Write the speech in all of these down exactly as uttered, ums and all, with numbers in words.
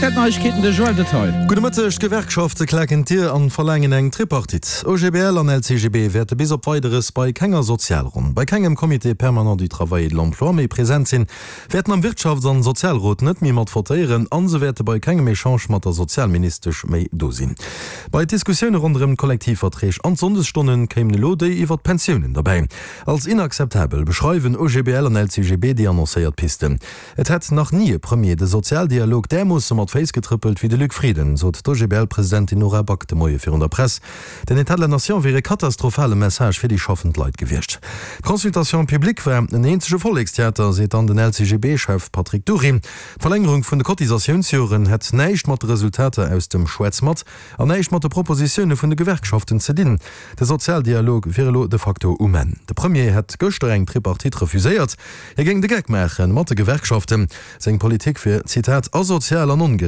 Aktuell Neiegkeeten, de Joël Detail. Gudde Mëtteg, D'Gewerkschafte klaken d'Dier an verlaangen eng Tripartite. OGBL an LCGB wäerte bis op Weideres bei kenger Sozialronn, bei kengem Comité permanent du travail et de l'emploi méi present sinn, wäerten am Wirtschafts an Sozialrot net méi mat votéieren an se wäerte bei kengem Echange mat der Sozialministesch méi do sinn. Bei d'Diskussioune ronderëm d'Kollektivverträg an d'Sonndesstonne kéimen elo déi iwwer d'Pensiounen derbäi. Als inakzeptabel beschreiwen OGBL an LCGB déi annoncéiert Pisten. Et hätt nach ni e Premier de Sozialdialog därmoosse mat Féiss getrëppelt wéi de Luc Frieden, sot d'OGBL-Presidentin Nora Back de Moie virun der Press. Den État de la Nation wier e katastrophale Message fir déi schaffend Leit gewiescht. D'Consultation publique war en eenzege Vollekstheater, seet dann den LCGB-Chef Patrick Dury. D'Verlängerung vun de Cotisatiounsjoren hätt näischt mat de Resultater aus dem Schwätz mat an näischt mat de Propositioune vun de Gewerkschaften ze dinn. De Sozialdialog wier elo de facto um Enn. De Premier hätt gëschter eng Tripartite refuséiert. Hie géing de Geck maache mat de Gewerkschaften. Seng Politik wier, Zitat, asozial an ongerecht.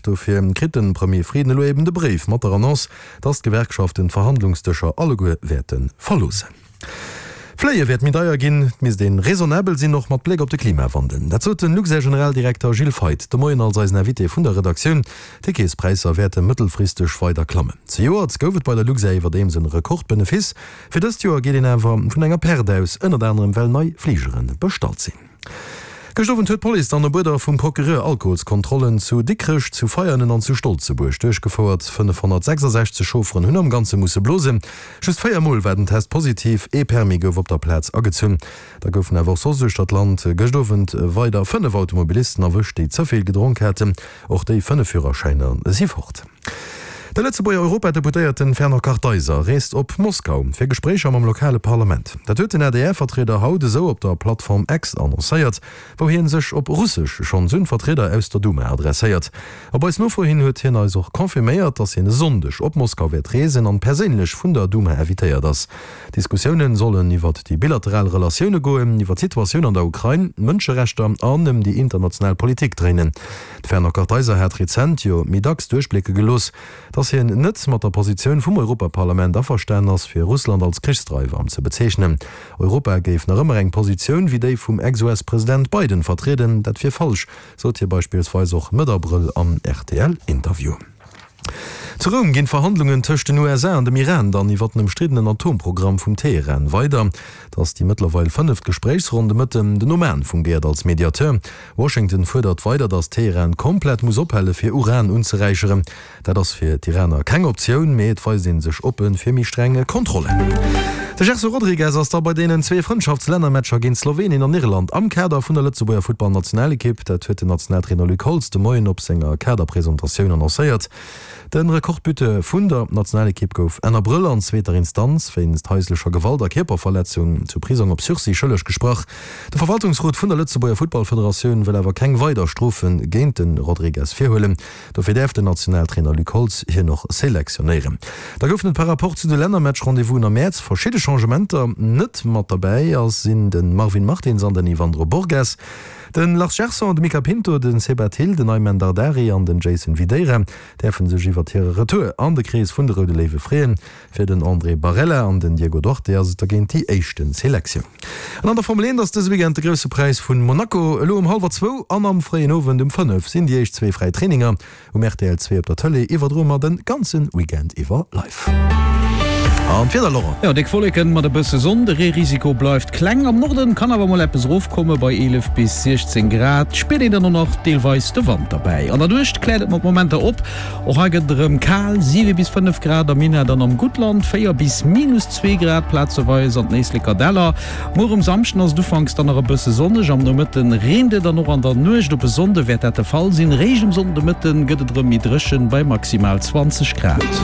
Dofir kritt de Premier Frieden elo eben de Bréif mat der Annonce, datt d'Gewerkschaften d'Verhandlungsdëscher alleguer wäerte verloossen. Fléie wäert méi deier ginn, et misst ee raisonnabel sinn, och mat Bléck op de Klimawandel. Dat sot den Luxair-Generaldirekter Gilles Feith de Moien als eisen Invité vun der Redaktioun. D'Ticketspräisser wäerte mëttelfristeg weider klammen. Zejoert gouf et bei der Luxair iwwerdeems en Rekordbenefice. Fir dëst Joer geet een awer vun enger Perte aus, ënnert anerem well nei Fligere bestallt sinn. Gëscht Owend huet d'Police dann op Uerder vum Procureur Alkoholskontrollen zu Dikrech, zu Veianen an zu Stolzebuerg duerchgefouert. fënnefhonnertsechsasechzeg Chaufferen hunn am Ganze musse blosen. Just véier Mol war den Test positiv, ee Permis gouf op der Plaz agezunn. Da goufen awer och soss uechter d'Land gëscht Owend weider fënnef Automobilisten erwëscht, déi ze vill gedronk haten. Och déi fënnef Führerschäiner si fort. De Lëtzebuerger Europadeputéierten Fernand Kartheiser reest op Moskau fir Gespréicher mam lokale Parlament. Dat huet den A D R-Vertrieder haut esou op der Plattform X annoncéiert, wou hie sech op Russesch schonns un Vertrieder aus der Duma adresséiert. Op eis Nofro hin huet hien eis och confirméiert, datt hien e Sonndeg op Moskau wäert reesen an perséinlech vun der Duma invitéiert ass. D'Diskussioune sollen iwwert déi bilateral Relatioune goen, iwwer d'Situatioun an der Ukrain, d'Mënscherechter an ëm déi international Politik dréinen. De Fernand Kartheiser hat rezent jo méi dacks duerchblécke gelooss, datt hien net mat der Positioun vum Europaparlament averstanen ass, fir Russland als Krichsdreiwer ze bezeechnen. Europa géif nach ëmmer eng Positioun wéi déi vum Ex-U S-President Biden vertrieden, dat wier falsch, sot hie beispillsweis och Mëtt Abrëll am R T L-Interview. Zu Roum ginn d'Verhandlungen tëscht den U S A an dem Iran dann iwwer den ëmstriddenen Atomprogramm vum Teheran weider. Et ass déi mëttlerweil fënneft Gespréichsronn de Mëtten. Den Oman fungéiert als Mediateur. Washington fuerdert weider, datt Teheran komplett muss ophale fir Uran unzeräicheren. Dat ass fir d'Iraner keng Optioun, mee et weist ee sech oppe fir méi streng Kontrollen. De Gerson Rodrigues ass da bei deenen zwee Frëndschaftslännermatcher géint Slowenien an Irland am Kader vun der Lëtzebuerger Futtballnationalekipp. Dat huet den Nationaltrainer Luc Holtz de Moien op senger Kaderpresentatioun annoncéiert. De Rekordbuteur vun der Nationalekipp gouf Enn Abrëll an zweeter Instanz wéinst haislecher Gewalt a Kierperverletzung zu Prisong op Sursis schëlleg gesprach. De Verwaltungsrot vun der Lëtzebuerger Futtballfederatioun wëll awer keng weider Strofe géint de Rodrigues virhuelen. Dofir däerf den Nationaltrainer Luc Holtz hien och selektionéieren. Da goufen et par rapport zu de Lännermatch-Rendez-vousen am Mäerz verschidde Changementer. Net mat derbäi sinn de Marvin Martins an den Yvandro Borges. De Lars Gerson, de Mica Pinto, den Seba Thill, den Aimen Dardari an den Jason Videira däerfe sech iwwer hire Retour an de Krees vun de Roude Léiwe freeën. Fir den André Barella an den Diego Duarte ass et dergéint déi éischten Selektioun. An an der Formel eent ass dëse Weekend de Grousse Präis vu Monaco. Elo um hallwer zwou an am fréien Owend um fënnef sinn déi éischt zwee fräi Traininger. Um R T L zwee op der Tëlee iwwerdroe mer de ganze Weekend iwwer live. An d'Wieder, Laurent? Jo, déck Wolleken mat e bësse Sonn, de Reerisiko bleift kleng. Am Norden kann awer mol eppes erofkomme bei eelef bis siechzéng Grad. Spiert een dann och nach deelweis de Wand derbäi. An der Nuecht kläert et mat Momenter op, och hei gëtt et erëm kal, siwe bis fënnef Grad am Minett an am Guttland, véier bis minus zwee Grad plazeweis an den Éisleker Däller. Muer um Samschden ass et ufanks dann nach e bësse sonneg, am Nomëtten reent et an och an der Nuecht op e Sonnde wäert dat de Fall sinn. Réischt um Sonndemëtten gëtt et erëm méi dréchen bei maximal zwanzeg Grad.